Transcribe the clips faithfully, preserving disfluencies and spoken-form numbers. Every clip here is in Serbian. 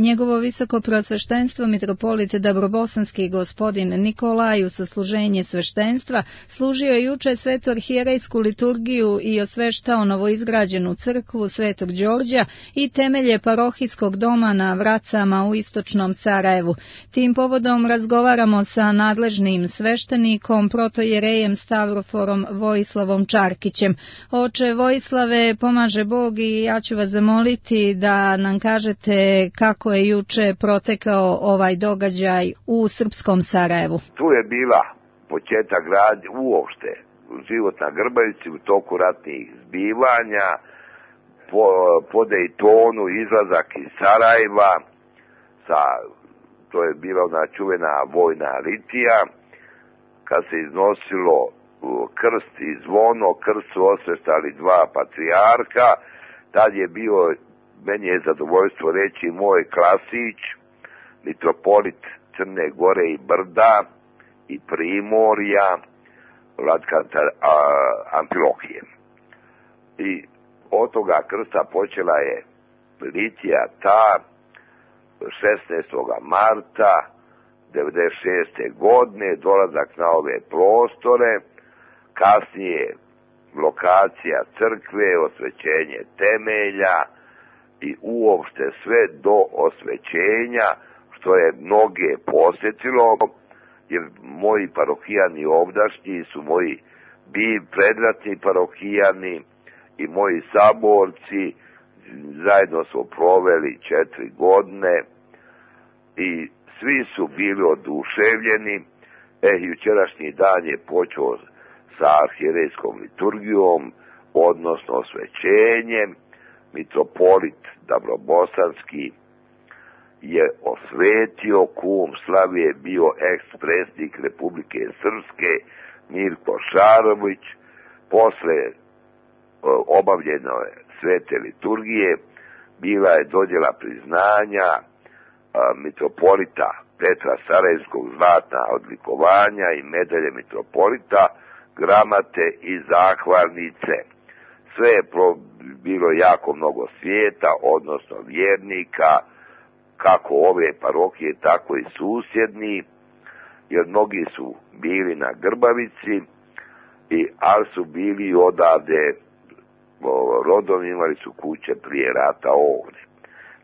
Njegovo visoko preosveštenstvo mitropolit Dabrobosanski gospodin Nikolaj u sasluženje sveštenstva služio je juče svetu arhijerejsku liturgiju i osveštao novoizgrađenu crkvu Svetog Đorđa i temelje parohijskog doma na Vracama u istočnom Sarajevu. Tim povodom razgovaramo sa nadležnim sveštenikom, protojerejem Stavroforom Vojislavom Čarkićem. Oče Vojislave, pomaže Bog i ja ću vas zamoliti da nam kažete kako je juče protekao ovaj događaj u srpskom Sarajevu. Tu je bila početak gradnje uopšte, život na Grbavici u toku ratnih zbivanja, po, po Dejtonu, izlazak iz Sarajeva, sa, to je bila ona čuvena vojna litija, kad se iznosilo krst i zvono, krst su osveštali dva patrijarha, tad je bio, meni je zadovoljstvo reći, moj Klasić, mitropolit Crne Gore i Brda i Primorja, Vladika Amfilohije. I od toga krsta počela je litija ta šesnaestog marta devedeset šeste godine, dolazak na ove prostore, kasnije lokacija crkve, osvećenje temelja i uopšte sve do osvećenja, što je mnoge posjetilo, jer moji parohijani ovdašnji su moji bi predratni parohijani i moji saborci, zajedno smo proveli četiri godine i svi su bili oduševljeni. E, jučerašnji dan je počeo sa arhijerejskom liturgijom, odnosno osvećenjem. Mitropolit Dabrobosanski je osvetio, kum Slavije bio ekspresnik Republike Srpske Mirko Šarović. Posle obavljene svete liturgije bila je dodjela priznanja mitropolita Petra Sarajevskog, zlatna odlikovanja i medalje mitropolita, gramate i zahvalnice. Sve je bilo jako mnogo svijeta, odnosno vjernika, kako ove parohije, tako i susjedni, jer mnogi su bili na Grbavici, i, ali su bili odavde, rodom imali su kuće prije rata ovdje.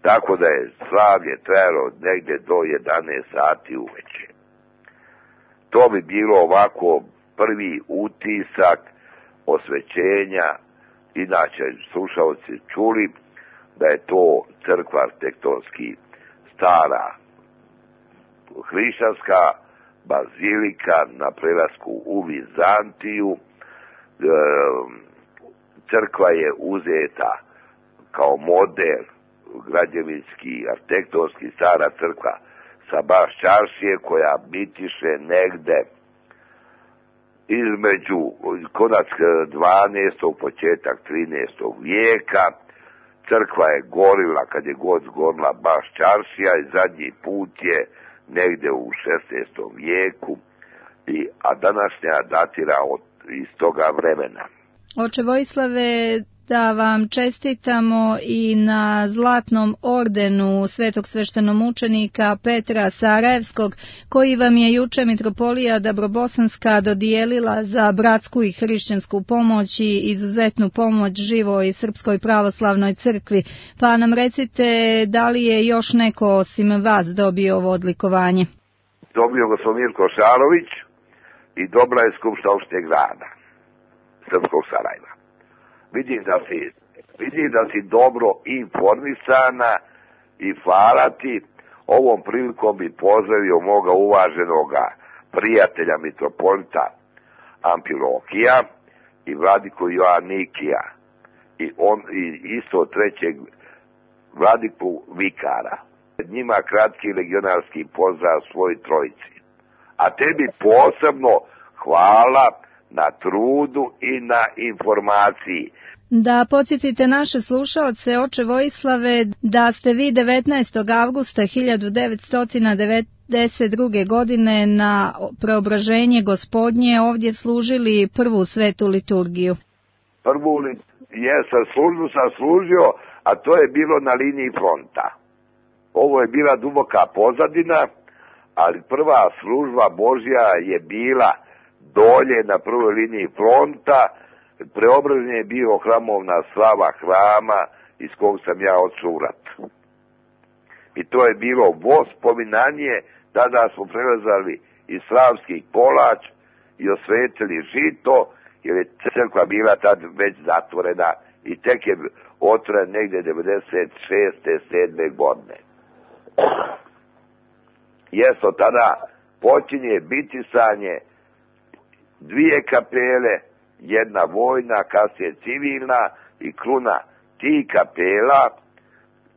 Tako da je slavlje trajalo negdje do jedanaest sati uveče. To bi bilo ovako prvi utisak osvećenja. Inače, slušalci čuli da je to crkva arhitektonski stara hrišćanska bazilika na prelasku u Vizantiju. Crkva je uzeta kao model građevinski, arhitektonski, stara crkva sa baš čaršije, koja bitiše negde između konac dvanaestog početak trinaestog vijeka. Crkva je gorila kad je god zgorila baš čaršija i zadnji put je negde u šesnaestom vijeku, i, a današnja datira od, iz toga vremena. Oče Vojislave, da vam čestitamo i na zlatnom ordenu svetog sveštenomučenika Petra Sarajevskog, koji vam je juče mitropolija Dabrobosanska dodijelila za bratsku i hrišćansku pomoć i izuzetnu pomoć živoj Srpskoj pravoslavnoj crkvi. Pa nam recite, da li je još neko osim vas dobio ovo odlikovanje? Dobio ga sam Mirko Šarović i dobra je skupština opštine grada Srpskog Sarajeva. Vidim da si, vidim da si dobro informisana i hvala ti. Ovom prilikom bi pozdravio moga uvaženoga prijatelja mitropolita Amfilohija i vladiku Joannikija i, on, i isto trećeg vladiku Vikara. Njima kratki legionarski pozdrav svoj trojici. A tebi posebno hvala na trudu i na informaciji. Da podsjetite naše slušaoce, oče Vojislave, da ste vi devetnaestog avgusta hiljadu devetsto devedeset druge. godine na Preobraženje Gospodnje ovdje služili prvu svetu liturgiju. Prvu liturgiju, jesam službu sam služio, a to je bilo na liniji fronta. ovo je bila duboka pozadina, ali prva služba Božja je bila dolje na prvoj liniji fronta. Preobražen je bio hramovna slava hrama iz kog sam ja odšao u rat. I to je bilo vospominanje, tada smo prelazali iz Slavskih Kolač i osvetili žito, jer je crkva bila tad već zatvorena i tek je otvoren negde devedeset šeste sedme godine. Jesto tada počinje bitisanje dvije kapele, jedna vojna, kasnije civilna, i kruna tih kapela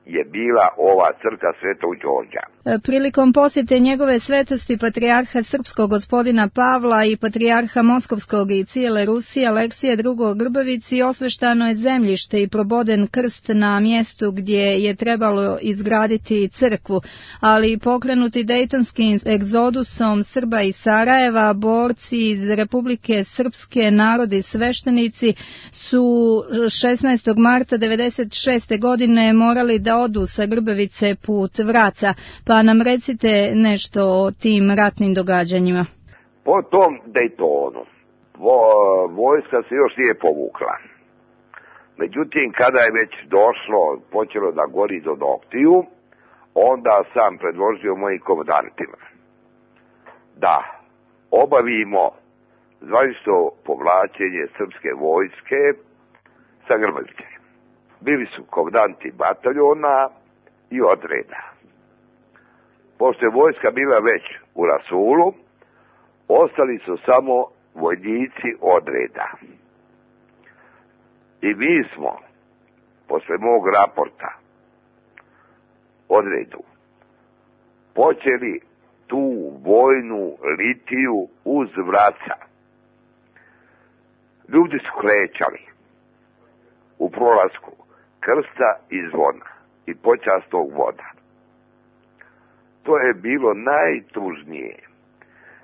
je bila ova crkva Svetog Đorđa. Prilikom posjete njegove svetosti patrijarha srpskog gospodina Pavla i patrijarha moskovskog i cijele Rusije Aleksija drugi. Grbavici osveštano je zemljište i proboden krst na mjestu gdje je trebalo izgraditi crkvu, ali pokrenuti dejtonskim egzodusom Srba iz Sarajeva, borci iz Republike Srpske, narodi sveštenici su šesnaestog marta devedeset šeste. godine morali da odu sa Grbavice put Vraca, pa nam recite nešto o tim ratnim događanjima. Po tom Dejtonu vo, vojska se još nije povukla. Međutim, kada je već došlo, počelo da gori do noktiju, onda sam predložio mojim komandantima da obavimo zvanično povlačenje srpske vojske sa Grbavice. Bili su komandanti bataljona i odreda. Pošto je vojska bila već u rasulu, ostali su samo vojnici odreda. I mi smo, posle mog raporta odredu, počeli tu vojnu litiju uz Vraca. Ljudi su krećali u prolasku krsta i zvona i počastog voda. To je bilo najtužnije,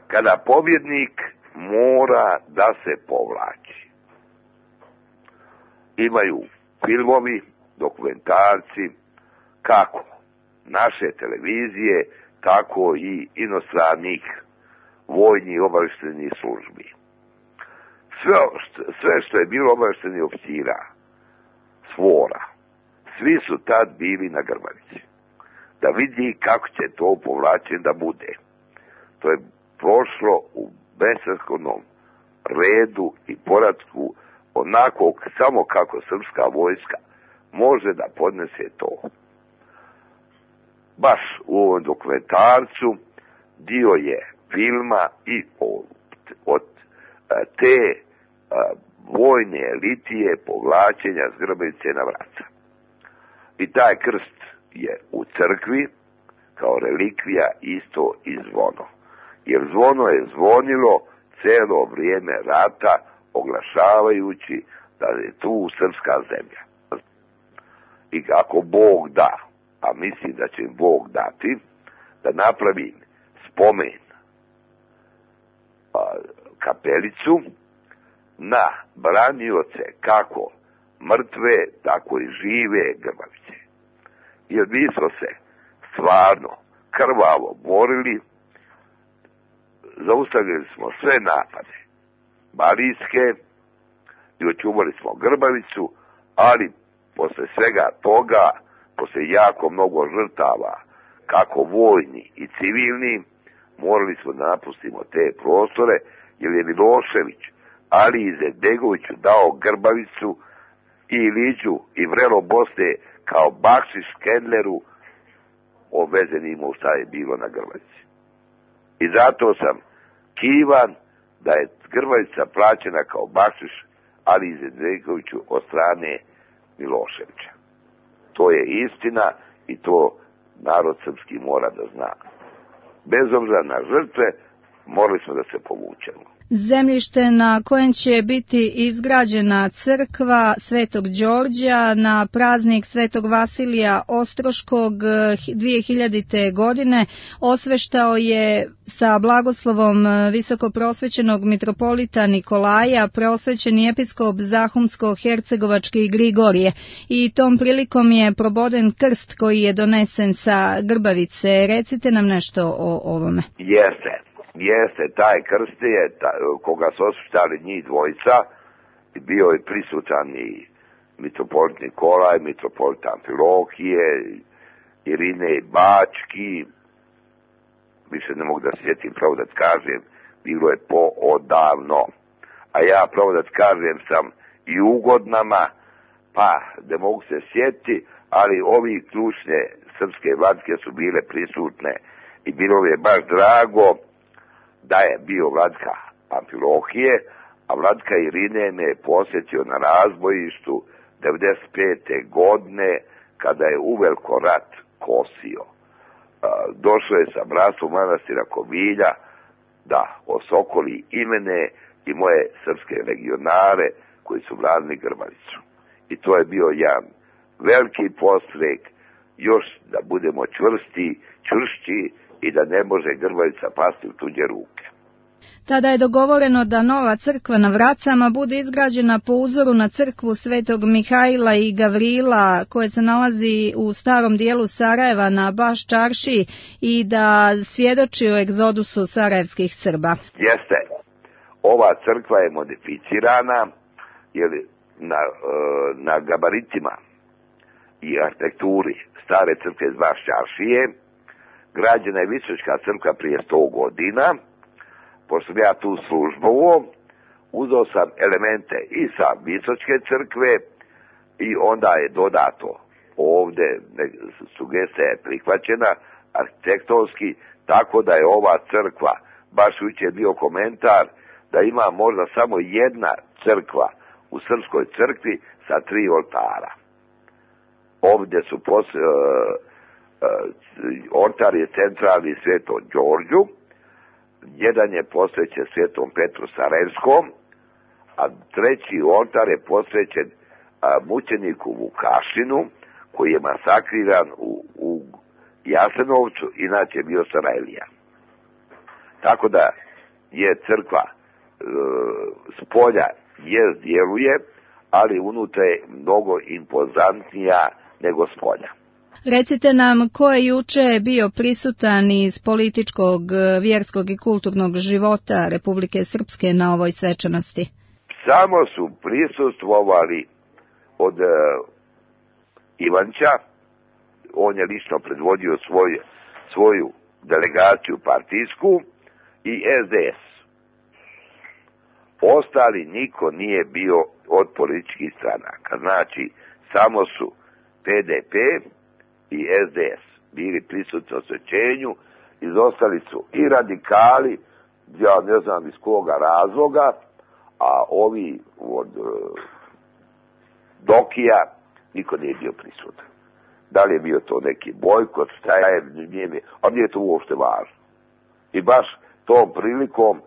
kada pobjednik mora da se povlači. Imaju filmovi, dokumentarci, kako naše televizije, tako i inostranih vojnih obaveštajnih službi. Sve, sve što je bilo obaveštajnih oficira, svora, svi su tad bili na Grbavici, da vidi kako će to povlačenje da bude. To je prošlo u besprekornom redu i poratku, onako samo kako srpska vojska može da podnese to. Baš u ovom dokumentarcu dio je filma i od, od te vojne litije povlačenja s Grbavice na Vraca. I taj krst je u crkvi kao relikvija isto i zvono. Jer zvono je zvonilo celo vrijeme rata, oglašavajući da je tu srpska zemlja. I ako Bog da, a mislim da će Bog dati, da napravim spomen a, kapelicu na branioce kako mrtve, tako i žive Grbavice. Jer mi smo se stvarno krvavo borili, zaustavili smo sve napade balijske i očuvali smo Grbavicu, ali posle svega toga, posle jako mnogo žrtava, kako vojni i civilni, morali smo da napustimo te prostore, jer je Milošević Ali Izetbegoviću dao Grbavicu i Iliđu i vrelo Bosne kao bakšiš Kendleru, obvezenimo šta je bilo na Grbavici. I zato sam kivan da je Grbavica plaćena kao bakšiš Ali Izetbegoviću od strane Miloševića. To je istina i to narod srpski mora da zna. Bez obzira na žrtve, morali smo da se povučemo. Zemljište na kojem će biti izgrađena crkva Svetog Đorđa na praznik Svetog Vasilija Ostroškog dvije hiljadite. godine osveštao je sa blagoslovom visokoprosvećenog mitropolita Nikolaja preosvećeni episkop Zahumsko-Hercegovački Grigorije i tom prilikom je proboden krst koji je donesen sa Grbavice. Recite nam nešto o ovome. Jeste. Jeste, taj krst je, ta, koga su osveštali njih dvojica, bio je prisutan i mitropolit Nikolaj, mitropolit Amfilohije, Irine Bački, više ne mogu da sjetim, pravo da kažem, bilo je poodavno. A ja, pravo da kažem, sam i ugodnama, pa ne mogu se sjetiti, ali ovi ključne srpske vladike su bile prisutne i bilo je baš drago da je bio vladika Amfilohije, a vladika Irine me je posjetio na razbojištu devedeset pete. godine, kada je uveliko rat kosio. Došao je sa bratstvom manastira Kovilja da osokoli i mene i moje srpske legionare koji su branili Grbavicu. I to je bio jedan veliki podstrek još da budemo čvrsti, čvršći i da ne može Grbavica pasti u tuđe ruke. Tada je dogovoreno da nova crkva na Vracama bude izgrađena po uzoru na crkvu Svetog Mihajla i Gavrila koja se nalazi u starom dijelu Sarajeva na Baš čaršiji i da svjedoči o egzodusu sarajevskih Srba. Jeste, ova crkva je modificirana jer na, na gabaritima i arhitekturi stare crkve iz Baš čaršije građena je Visočka crkva prije sto godina. Pošto ja tu službovo, uzeo sam elemente i sa Visočke crkve i onda je dodato ovdje, sugestija je prihvaćena arhitektonski, tako da je ova crkva, baš jučer bio komentar, da ima možda samo jedna crkva u srpskoj crkvi sa tri oltara. Ovdje su pos, uh, uh, oltar je centralni Svetom Đorđu, jedan je posvećen Svetom Petru Sarajevskom, a treći oltar je posvećen a, mučeniku Vukašinu, koji je masakriran u, u Jasenovcu, inače bio Sarajlija. Tako da je crkva e, spolja je djeluje, ali unutra je mnogo impozantnija nego spolja. Recite nam ko je juče bio prisutan iz političkog, vjerskog i kulturnog života Republike Srpske na ovoj svečanosti? Samo su prisustvovali od uh, Ivanča, on je lično predvodio svoj, svoju delegaciju partijsku i es de es. Ostali niko nije bio od političkih stranaka, znači samo su pe de pe i es de es bili prisutni osvećenju, izostali su i radikali, ja ne znam iz koga razloga, a ovi od uh, Dokija niko nije bio prisutan. Da li je bio to neki bojkot, šta je, nije mi, a nije to uopšte važno. I baš tom prilikom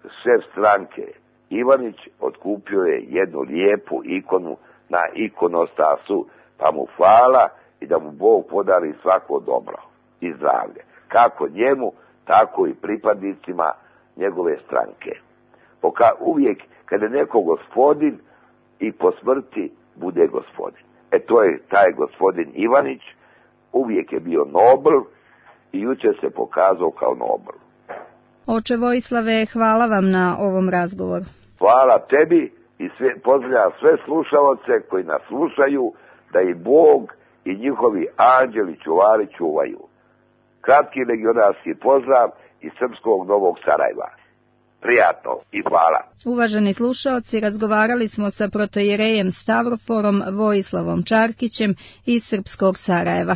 šef stranke Ivanić otkupio je jednu lijepu ikonu na ikonostasu, pa mu hvala i da mu Bog podari svako dobro i zdravlje. Kako njemu, tako i pripadnicima njegove stranke. Poka uvijek kada je neko gospodin i po smrti bude gospodin. E to je taj gospodin Ivanić, uvijek je bio nobel i jučer se pokazao kao nobel. Oče Vojislave, hvala vam na ovom razgovoru. Hvala tebi i sve, pozdravljam sve slušalce koji nas slušaju, da i Bog i njihovi anđeli čuvari čuvaju. Kratki legionarski pozdrav iz srpskog Novog Sarajeva. Prijatno i hvala. Uvaženi slušaoci, razgovarali smo sa protojerejem Stavroforom Vojislavom Čarkićem iz srpskog Sarajeva.